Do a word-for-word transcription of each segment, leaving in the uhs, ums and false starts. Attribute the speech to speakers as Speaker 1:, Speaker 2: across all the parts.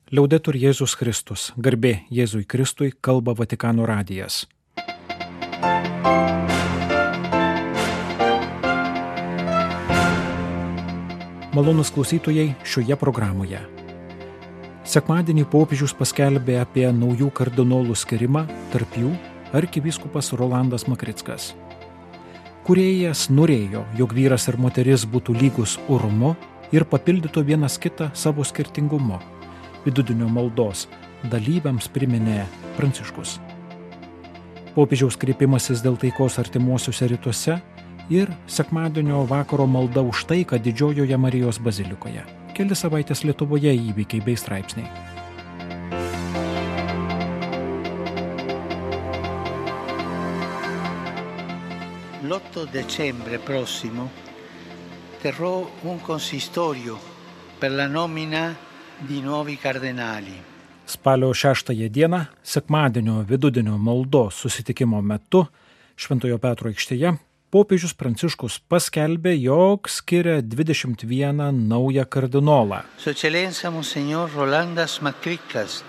Speaker 1: Liaudetur Jėzus Kristus, garbė Jėzui Kristui, kalba Vatikano radijas. Malonūs klausytojai šioje programoje. Sekmadienį popiežius paskelbė apie naujų kardinolų skirimą, tarp jų arkivyskupas Rolandas Makrickas. Kūrėjas norėjo, jog vyras ir moteris būtų lygus orumu ir papildytų vienas kitą savo skirtingumu. Vidudienio maldos dalyviams priminė Pranciškus. Popiežiaus kreipimasis dėl taikos artimuosiuose rytuose ir sekmadienio vakaro malda už taiką Didžiojoje Marijos bazilikoje. Keli savaitės Lietuvoje įvykiai bei straipsniai.
Speaker 2: L'otto dicembre prossimo terrò un consistorio per la nomina di nuovi cardinali.
Speaker 1: Spalio šeštąją dieną, sekmadienio vidudienio maldos susitikimo metu Šventojo Petro aikštėje, popiežius Pranciškus paskelbė, jog skiria dvidešimt vieną naują kardinolą.
Speaker 2: Su Eccellenza Monsignor Rolandas Makrickas,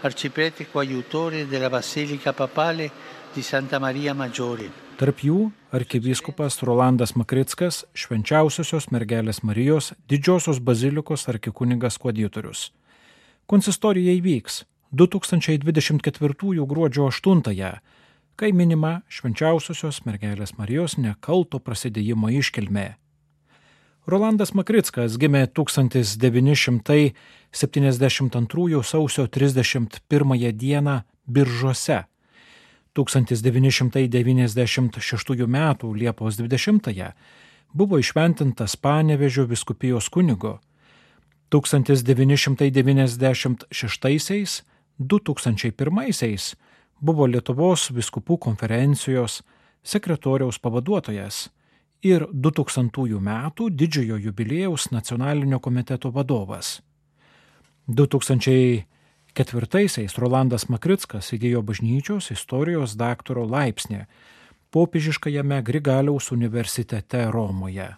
Speaker 2: arciprete coaiutore della Basilica Papale di Santa Maria Maggiore.
Speaker 1: Tarp jų arkivyskupas Rolandas Makrickas, Švenčiausiosios mergelės Marijos Didžiosios bazilikos arkikunigas koadjutorius. Konsistorija įvyks du tūkstančiai dvidešimt ketvirtųjų gruodžio aštuntąją, kai minima Švenčiausiosios mergelės Marijos nekalto prasidėjimo iškilmė. Rolandas Makrickas gimė tūkstantis devyni šimtai septyniasdešimt antrųjų sausio trisdešimt pirmąją dieną Biržuose. tūkstantis devyni šimtai devyniasdešimt šeštųjų metų Liepos dvidešimtąją buvo įšventintas Panevėžio vyskupijos kunigu. tūkstantis devyni šimtai devyniasdešimt šeštaisiais - du tūkstančiai pirmaisiais buvo Lietuvos vyskupų konferencijos sekretoriaus pavaduotojas ir du tūkstantųjų metų didžiojo jubiliejaus nacionalinio komiteto vadovas. du tūkstančiai ketvirtaisiais Rolandas Makrickas įgijo bažnyčios istorijos daktaro laipsnį popiežiškajame Grigaliaus universitete Romoje.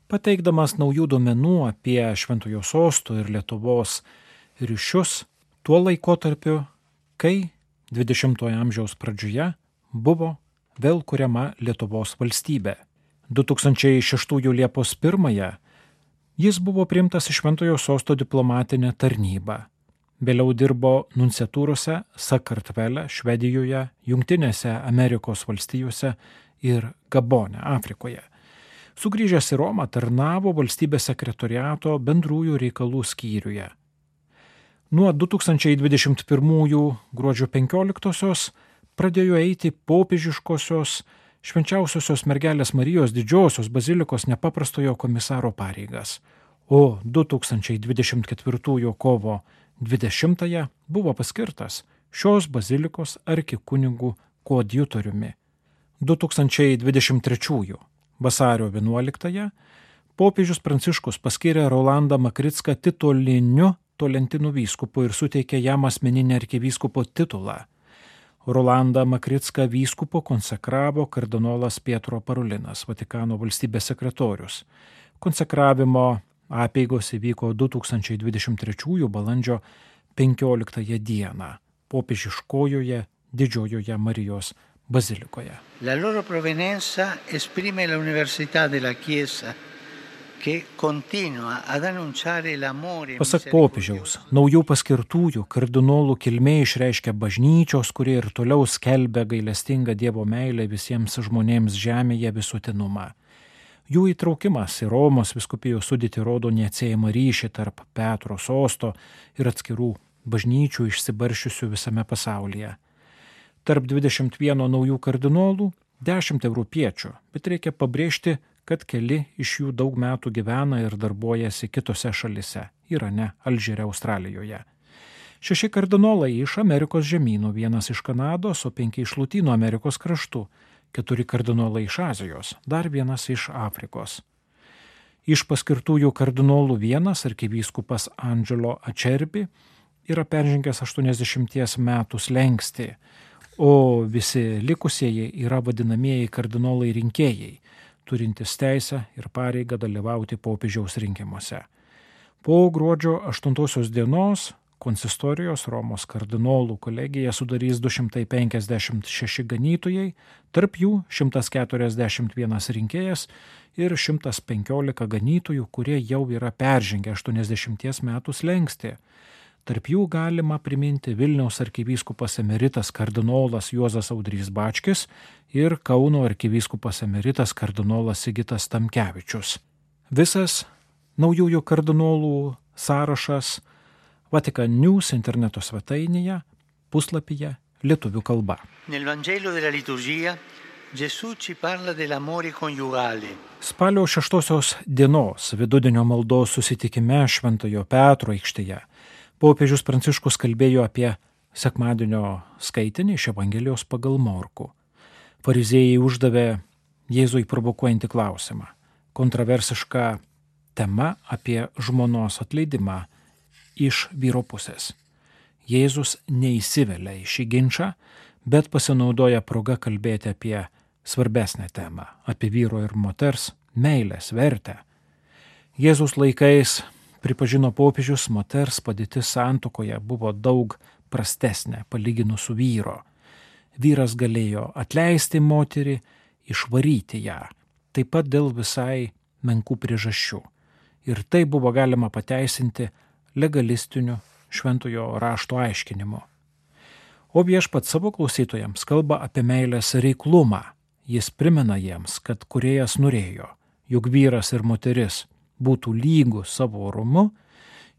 Speaker 1: Pateikdamas naujų duomenų apie Šventojo Sosto ir Lietuvos ryšius tuo laikotarpiu, kai dvidešimtojo amžiaus pradžioje buvo vėl kuriama Lietuvos valstybė. du tūkstančiai šeštųjų Liepos pirmąją jis buvo priimtas į Šventojo Sosto diplomatinę tarnybą. Vėliau dirbo nunciatūrose Sakartvele, Švedijoje, Jungtinėse Amerikos valstijose ir Gabone, Afrikoje. Sugrįžęs į Romą tarnavo valstybės sekretoriato bendrųjų reikalų skyriuje. Nuo du tūkstančiai dvidešimt pirmųjų gruodžio penkioliktosios pradėjo eiti popiežiškosios Švenčiausiosios mergelės Marijos Didžiosios bazilikos nepaprastojo komisaro pareigas, o du tūkstančiai dvidešimt ketvirtųjų kovo dvidešimtąją buvo paskirtas šios bazilikos arkikunigų koadjutoriumi. du tūkstančiai dvidešimt trečiųjų vasario vienuoliktąją popiežius Pranciškus paskyrė Rolandą Makricką tituliniu Tolentino vyskupu ir suteikė jam asmeninį arkivyskupo titulą. Rolandą Makricką vyskupu konsekravo kardinolas Pietro Parolinas, Vatikano valstybės sekretorius. Konsekravimo apeigos įvyko du tūkstančiai dvidešimt trečiųjų balandžio penkioliktąją dieną popiežiškojoje Didžiojoje Marijos bazilikoje.
Speaker 2: La loro provenienza esprime la università della Chiesa che continua ad annunciare l'amore.
Speaker 1: Pasak popiežiaus, naujų paskirtųjų kardinolų kilmė išreiškia bažnyčios, kurie ir toliau skelbia gailestingą Dievo meilę visiems žmonėms žemėje visuotinumą. Jų įtraukimas į Romos vyskupijos sudėtį rodo neatsiejamą ryšį tarp Petro sosto ir atskirų bažnyčių išsibaršiusių visame pasaulyje. Tarp dvidešimt vieno naujų kardinolų dešimt europiečių, bet reikia pabrėžti, kad keli iš jų daug metų gyvena ir darbuojasi kitose šalise – Irane, Alžyre, Australijoje. Šeši kardinolai iš Amerikos žemynų, vienas iš Kanados, o penki iš Lotynų Amerikos kraštų. Keturi kardinolai iš Azijos, dar vienas iš Afrikos. Iš paskirtųjų kardinolų vienas, arkivyskupas Angelo Acerbi, yra peržengęs aštuoniasdešimties metų slenkstį, o visi likusieji yra vadinamieji kardinolai rinkėjai, turintis teisę ir pareigą dalyvauti popiežiaus rinkimuose. Po gruodžio aštuntosios dienos konsistorijos Romos kardinolų kolegiją sudarys du šimtai penkiasdešimt šeši ganytojai, tarp jų šimtas keturiasdešimt vienas rinkėjas ir šimtas penkiolika ganytojų, kurie jau yra peržengę aštuoniasdešimties metų slenkstį. Tarp jų galima priminti Vilniaus arkivyskupas emeritas kardinolas Juozas Audrys Bačkis ir Kauno arkivyskupas emeritas kardinolas Sigitas Tamkevičius. Visas naujųjų kardinolų sąrašas Vatican News interneto svetainėje, puslapyje lietuvių kalba.
Speaker 2: Nel Vangelo della liturgia Gesù ci parla dell'amore coniugale.
Speaker 1: Spalio šeštosios dienos vidudienio maldos susitikime Šventojo Petro aikštėje popiežius Pranciškus kalbėjo apie sekmadienio skaitinį iš Evangelijos pagal Morkų. Fariziejai uždavė Jėzui provokuojantį klausimą. Kontroversiška tema apie žmonos atleidimą iš vyro pusės. Jėzus neįsivelia į šį ginčą, bet pasinaudoja progą kalbėti apie svarbesnę temą, apie vyro ir moters meilės vertę. Jėzus laikais, pripažino popiežius, moters padėtis santuokoje buvo daug prastesnė palyginus su vyro. Vyras galėjo atleisti moterį, išvaryti ją, taip pat dėl visai menkų priežasčių. Ir tai buvo galima pateisinti legalistiniu šventojo rašto aiškinimu. O viešpats savo klausytojams kalba apie meilės reiklumą. Jis primena jiems, kad Kūrėjas norėjo, jog vyras ir moteris būtų lygų savo orumu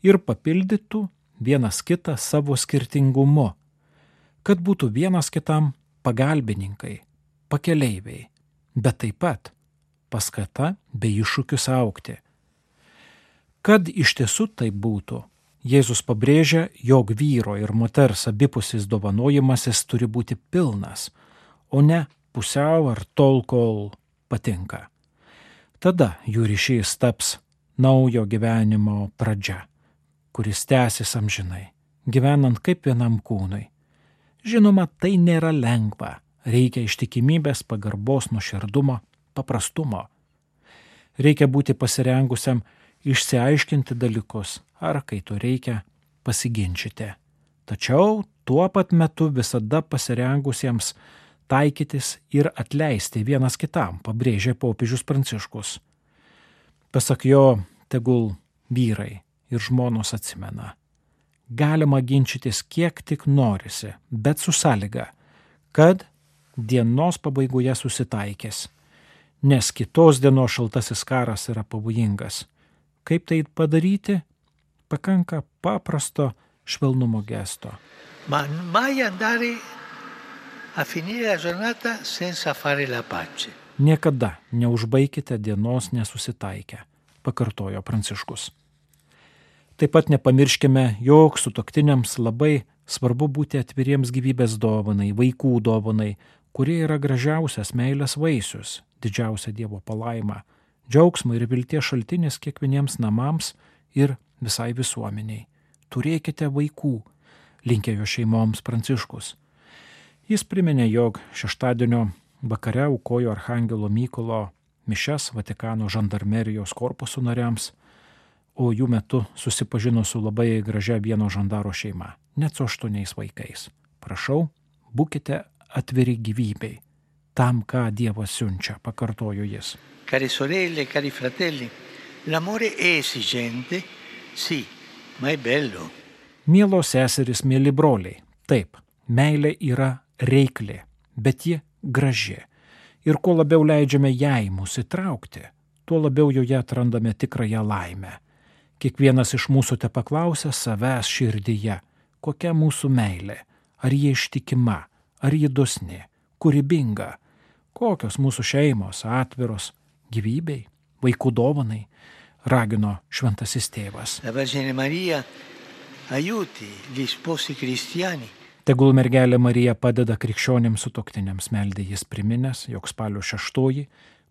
Speaker 1: ir papildytų vienas kitą savo skirtingumu, kad būtų vienas kitam pagalbininkai, pakeleiviai, bet taip pat paskata bei iššūkis augti. Kad iš tiesų tai būtų, Jėzus pabrėžia, jog vyro ir moters abipusis dovanojimasis turi būti pilnas, o ne pusiau ar tol, kol patinka. Tada jų ryšys taps naujo gyvenimo pradžia, kuris tęsis amžinai, gyvenant kaip vienam kūnui. Žinoma, tai nėra lengva, reikia ištikimybės, pagarbos, nuoširdumo, paprastumo. Reikia būti pasirengusiam išsiaiškinti dalykus, ar kai to reikia, pasiginčyti. Tačiau tuo pat metu visada pasirengusiems taikytis ir atleisti vienas kitam, pabrėžė popiežius Pranciškus. Pasak jo, tegul vyrai ir žmonos atsimena. Galima ginčytis kiek tik norisi, bet su sąlyga, kad dienos pabaigoje susitaikės, nes kitos dienos šaltasis karas yra pavojingas. Kaip tai padaryti? Pakanka paprasto švelnumo gesto.
Speaker 2: Ma mai andare a finire la giornata senza fare la pace.
Speaker 1: Niekada neužbaikite dienos nesusitaikę, pakartojo Pranciškus. Taip pat nepamirškime, jog sutuoktiniams labai svarbu būti atviriems gyvybės dovanai, vaikų dovanai, kurie yra gražiausias meilės vaisius, didžiausia Dievo palaima, džiaugsmo ir vilties šaltinis kiekvieniems namams ir visai visuomeniai. Turėkite vaikų, linkėjo šeimoms Pranciškus. Jis priminė, jog šeštadienio vakare aukojo Archangelo Mykolo mišias Vatikano žandarmerijos korpuso nariams, o jų metu susipažino su labai gražia vieno žandaro šeima, net su aštuoniais vaikais. Prašau, būkite atviri gyvybei, tam, ką Dievas siunčia, pakartojo jis.
Speaker 2: Cari sorelle, cari fratelli, l'amore è esigente, sì, ma è bello.
Speaker 1: Mielos seserys, mieli broliai, taip, meilė yra reikli, bet ji graži. Ir kuo labiau leidžiame jai mus įtraukti, tuo labiau joje atrandame tikrąją laimę. Kiekvienas iš mūsų te paklausia savęs širdyje, kokia mūsų meilė, ar ji ištikima, ar ji dosni, kūrybinga, kokios mūsų šeimos atviros gyvybei, vaikų dovanai, ragino šventasis tėvas.
Speaker 2: La Vergine Maria aiuti gli sposi cristiani.
Speaker 1: Tegul mergelė Marija padeda krikščionims sutuoktiniams, meldė jis priminęs, jog spalio šeštoji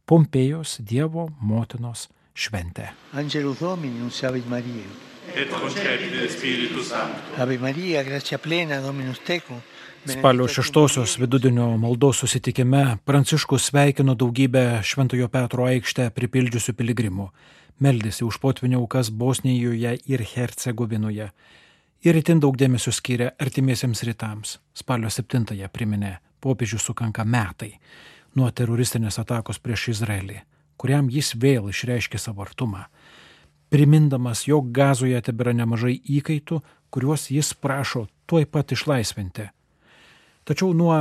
Speaker 1: Pompėjos Dievo motinos šventė.
Speaker 2: Angelus Domini, nunciavit Maria.
Speaker 3: Et concepit Spiritus Sancto.
Speaker 2: Ave Maria, gratia plena, Dominus tecum.
Speaker 1: Spalio šeštosios vidudienio maldos susitikime Pranciškus sveikino daugybę Šventojo Petro aikštę pripildžiusių piligrimų, meldėsi už potvynio aukas Bosnijoje ir Hercegovinoje ir itin daug dėmesio skiria artimiesiems rytams. Spalio septintąją priminė popiežius sukanka metai nuo teroristinės atakos prieš Izraelį, kuriam jis vėl išreiškė savo artumą, primindamas, jog Gazoje tebėra nemažai įkaitų, kuriuos jis prašo tuoj pat išlaisvinti. Tačiau nuo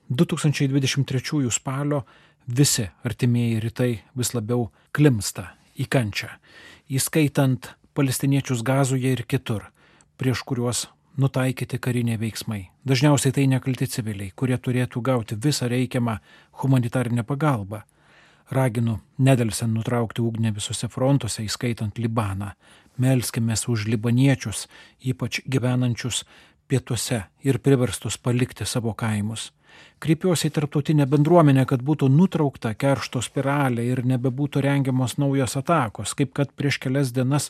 Speaker 1: du tūkstančiai dvidešimt trečiųjų spalio visi artimieji rytai vis labiau klimsta į kančią, įskaitant palestiniečius Gazoje ir kitur, prieš kuriuos nutaikyti kariniai veiksmai. Dažniausiai tai nekalti civiliai, kurie turėtų gauti visą reikiamą humanitarinę pagalbą. Raginu nedelsiant nutraukti ugnį visose frontuose, įskaitant Libaną. Melskimės už libaniečius, ypač gyvenančius pietuose ir priverstus palikti savo kaimus. Kreipiuosi į tarptautinę bendruomenę, kad būtų nutraukta keršto spiralė ir nebebūtų rengiamos naujos atakos, kaip kad prieš kelias dienas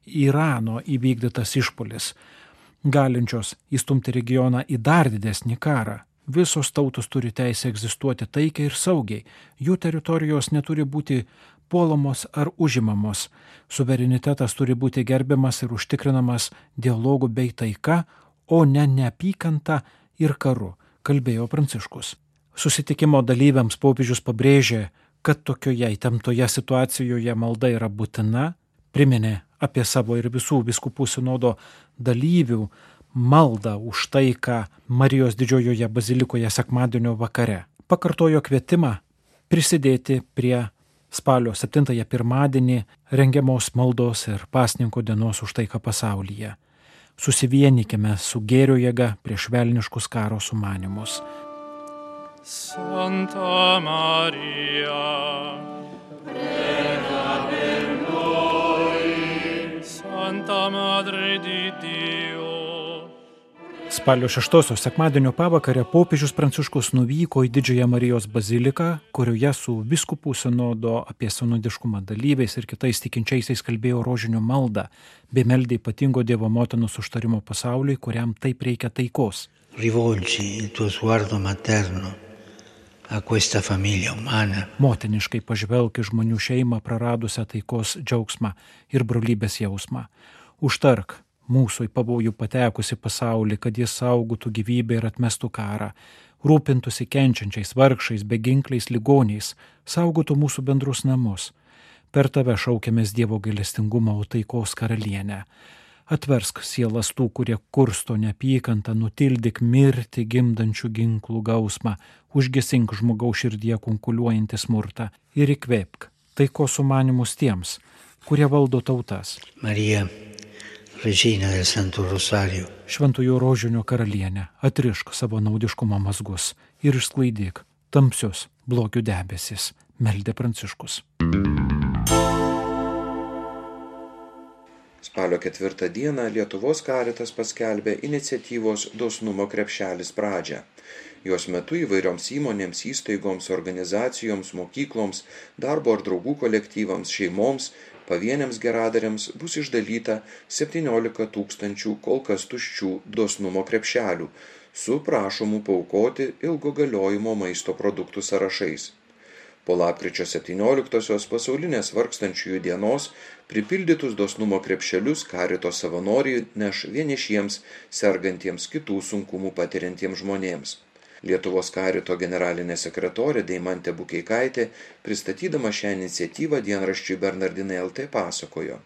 Speaker 1: Irano įvykdytas išpuolis, galinčios įstumti regioną į dar didesnį karą. Visos tautos turi teisę egzistuoti taikiai ir saugiai. Jų teritorijos neturi būti puolamos ar užimamos. Suverenitetas turi būti gerbiamas ir užtikrinamas dialogu bei taika, o ne neapykanta ir karu, kalbėjo Pranciškus. Susitikimo dalyviams popiežius pabrėžė, kad tokioje įtemptoje situacijoje malda yra būtina, priminė apie savo ir visų vyskupų sinodo dalyvių maldą už taiką Marijos didžiojoje bazilikoje sekmadienio vakare. Pakartojo kvietimą prisidėti prie spalio septintąją pirmadienį rengiamos maldos ir pasninko dienos už taiką pasaulyje. Susivienykime su gėrio jėga prieš velniškus karo sumanymus.
Speaker 3: Santa Maria, prega per noi. Santa Madre di Dio.
Speaker 1: Spalio šeštosios sekmadienio pavakarę popiežius Pranciškus nuvyko į Didžiąją Marijos baziliką, kurioje su vyskupų sinodo apie sinodiškumą dalyviais ir kitais tikinčiaisiais kalbėjo rožinio maldą, bei meldė ypatingo Dievo motinos užtarimo pasauliui, kuriam taip reikia taikos.
Speaker 2: Rivolgi il tuo sguardo materno a questa famiglia umana.
Speaker 1: Motiniškai pažvelk į žmonių šeimą praradusią taikos džiaugsmą ir brolybės jausmą. Užtark mūsų į pavojų patekusi pasaulį, kad jis saugotų gyvybę ir atmestų karą, rūpintųsi kenčiančiais vargšais, beginkliais, ligoniais, saugotų mūsų bendrus namus. Per tave šaukiamės Dievo gailestingumo, o taikos karalienę. Atversk sielas tų, kurie kursto neapykantą, nutildyk mirtį gimdančių ginklų gausmą, užgesink žmogaus širdyje kunkuliuojantį smurtą ir įkvėpk taikos sumanymus tiems, kurie valdo tautas.
Speaker 2: Marija, Regina del Santo Rosario.
Speaker 1: Šventųjų rožinio karalienė, atrišk savo naudiškumo mazgus ir išsklaidyk tamsius blogių debesis, meldė Pranciškus.
Speaker 4: Spalio ketvirtą dieną Lietuvos Karitas paskelbė iniciatyvos Dosnumo krepšelis pradžią. Jos metu įvairioms įmonėms, įstaigoms, organizacijoms, mokykloms, darbo ar draugų kolektyvams, šeimoms, pavieniams geradariams bus išdalyta septyniolika tūkstančių kol kas tuščių dosnumo krepšelių su prašomu paaukoti ilgo galiojimo maisto produktų sąrašais. Po lapkričio septynioliktosios pasaulinės vargstančiųjų dienos pripildytus dosnumo krepšelius Karito savanoriai neš vienišiems, sergantiems, kitų sunkumų patiriantiems žmonėms. Lietuvos Karito generalinė sekretorė Deimantė Bukeikaitė, pristatydama šią iniciatyvą dienraščiui Bernardinai L T pasakojo.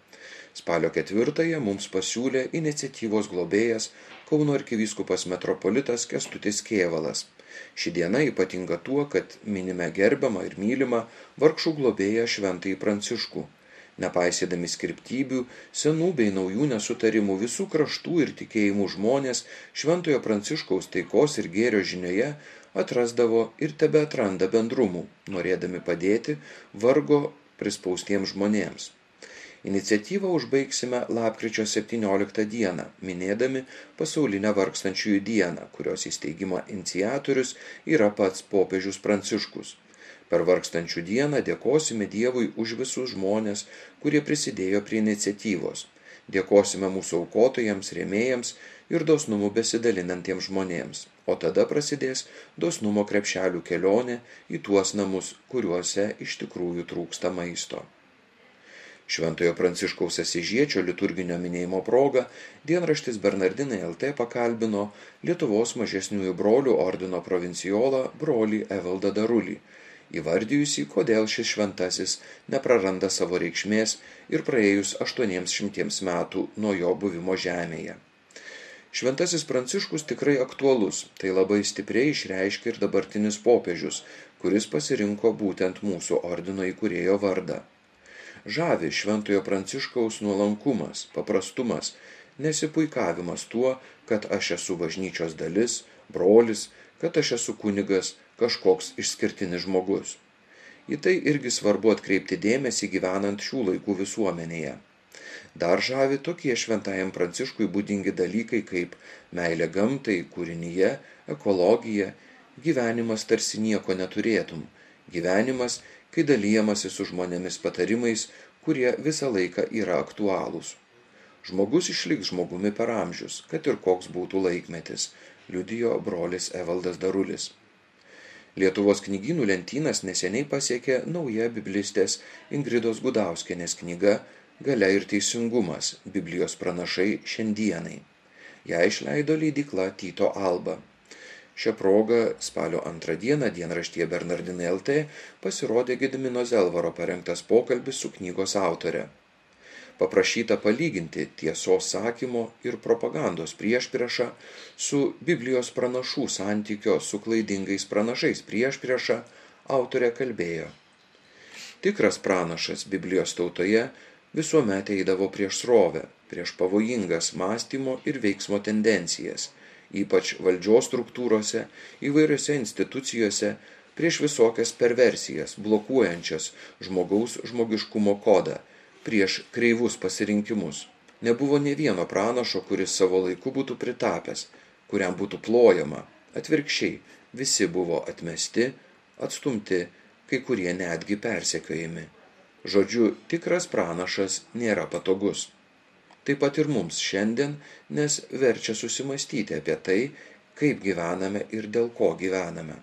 Speaker 4: Spalio ketvirtąją mums pasiūlė iniciatyvos globėjas Kauno arkivyskupas metropolitas Kęstutis Kėvalas. Ši diena ypatinga tuo, kad minime gerbiamą ir mylimą vargšų globėją Šventąjį Pranciškų. Nepaisydami skirptybių, senų bei naujų nesutarimų visų kraštų ir tikėjimų žmonės Šventojo Pranciškaus taikos ir gėrio žinioje atrasdavo ir tebeatranda bendrumų, norėdami padėti vargo prispaustiems žmonėms. Iniciatyvą užbaigsime lapkričio septynioliktą dieną, minėdami pasaulinę vargstančiųjų dieną, kurios įsteigimo iniciatorius yra pats popiežius Pranciškus. Per vargstančių dieną dėkosime Dievui už visus žmonės, kurie prisidėjo prie iniciatyvos. Dėkosime mūsų aukotojams, rėmėjams ir dosnumu besidalinantiems žmonėms. O tada prasidės dosnumo krepšelių kelionė į tuos namus, kuriuose iš tikrųjų trūksta maisto. Šventojo Pranciškaus Asyžiečio liturginio minėjimo proga dienraštis Bernardinai L T pakalbino Lietuvos mažesniųjų brolių ordino provincijolą brolį Evaldą Darulį, įvardijusi, kodėl šis šventasis nepraranda savo reikšmės ir praėjus aštuoniems šimtiems metų nuo jo buvimo žemėje. Šventasis Pranciškus tikrai aktualus, tai labai stipriai išreiškia ir dabartinis popiežius, kuris pasirinko būtent mūsų ordino įkūrėjo vardą. Žavi Šventojo Pranciškaus nuolankumas, paprastumas, nesipuikavimas tuo, kad aš esu bažnyčios dalis, brolis, kad aš esu kunigas, kažkoks išskirtinis žmogus. Į tai irgi svarbu atkreipti dėmesį gyvenant šių laikų visuomenėje. Dar žavi tokie Šventajam Pranciškui būdingi dalykai kaip meilė gamtai, kūrinyje, ekologija, gyvenimas tarsi nieko neturėtum, gyvenimas, kai dalyjamasi su žmonėmis patarimais, kurie visą laiką yra aktualūs. Žmogus išliks žmogumi per amžius, kad ir koks būtų laikmetis, liudijo brolis Evaldas Darulis. Lietuvos knygynų lentynas neseniai pasiekė nauja biblistės Ingridos Gudauskienės knyga Galia ir teisingumas – Biblijos pranašai šiandienai. Ją išleido leidykla Tyto Alba. Šią progą spalio antrą dieną dienraštyje Bernardinai L T pasirodė Gedimino Zelvaro parengtas pokalbis su knygos autore. Paprašyta palyginti tiesos sakymo ir propagandos priešpriešą su Biblijos pranašų santykio su klaidingais pranašais priešpriešą, autorė kalbėjo. Tikras pranašas Biblijos tautoje visuomet eidavo prieš srovę, prieš pavojingas mąstymo ir veiksmo tendencijas, ypač valdžios struktūrose, įvairiose institucijose, prieš visokias perversijas, blokuojančias žmogaus žmogiškumo kodą, prieš kreivus pasirinkimus. Nebuvo nė vieno pranašo, kuris savo laiku būtų pritapęs, kuriam būtų plojama. Atvirkščiai, visi buvo atmesti, atstumti, kai kurie netgi persekiojami. Žodžiu, tikras pranašas nėra patogus. Taip pat ir mums šiandien, nes verčia susimastyti apie tai, kaip gyvename ir dėl ko gyvename.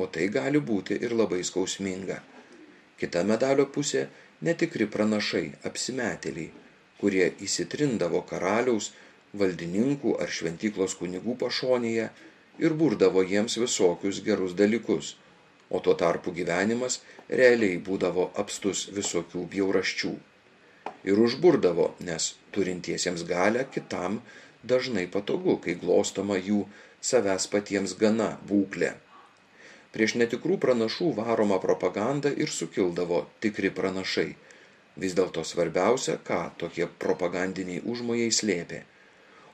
Speaker 4: O tai gali būti ir labai skausminga. Kita medalio pusė – netikri pranašai, apsimetėliai, kurie įsitrindavo karaliaus, valdininkų ar šventyklos kunigų pašonėje ir burdavo jiems visokius gerus dalykus, o tuo tarpu gyvenimas realiai būdavo apstus visokių bjaurasčių. Ir užburdavo, nes turintiesiems galią kitam dažnai patogu, kai glostoma jų savęs patiems gana būklė. Prieš netikrų pranašų varoma propaganda ir sukildavo tikri pranašai. Vis dėlto svarbiausia, ką tokie propagandiniai užmojai slėpė.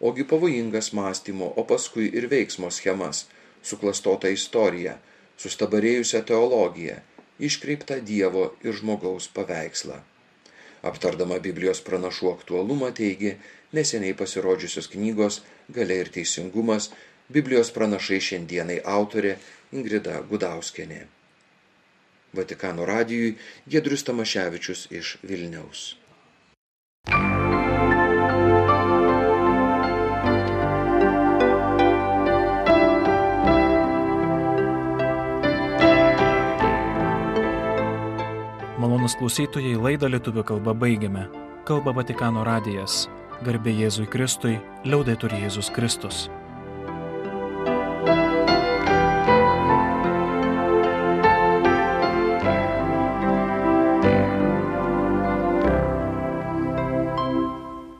Speaker 4: Ogi pavojingas mąstymo, o paskui ir veiksmo schemas, suklastota istorija, sustabarėjusią teologiją, iškreiptą Dievo ir žmogaus paveikslą. Aptardama Biblijos pranašų aktualumą teigė neseniai pasirodžiusios knygos Galia ir teisingumas – Biblijos pranašai šiandienai autorė Ingrida Gudauskienė. Vatikano radijui Giedrius Tamaševičius iš Vilniaus.
Speaker 1: Malonūs klausytojai, laidą lietuvių kalba baigiame. Kalba Vatikano radijas. Garbė Jėzui Kristui, liaudetur Jėzus Kristus.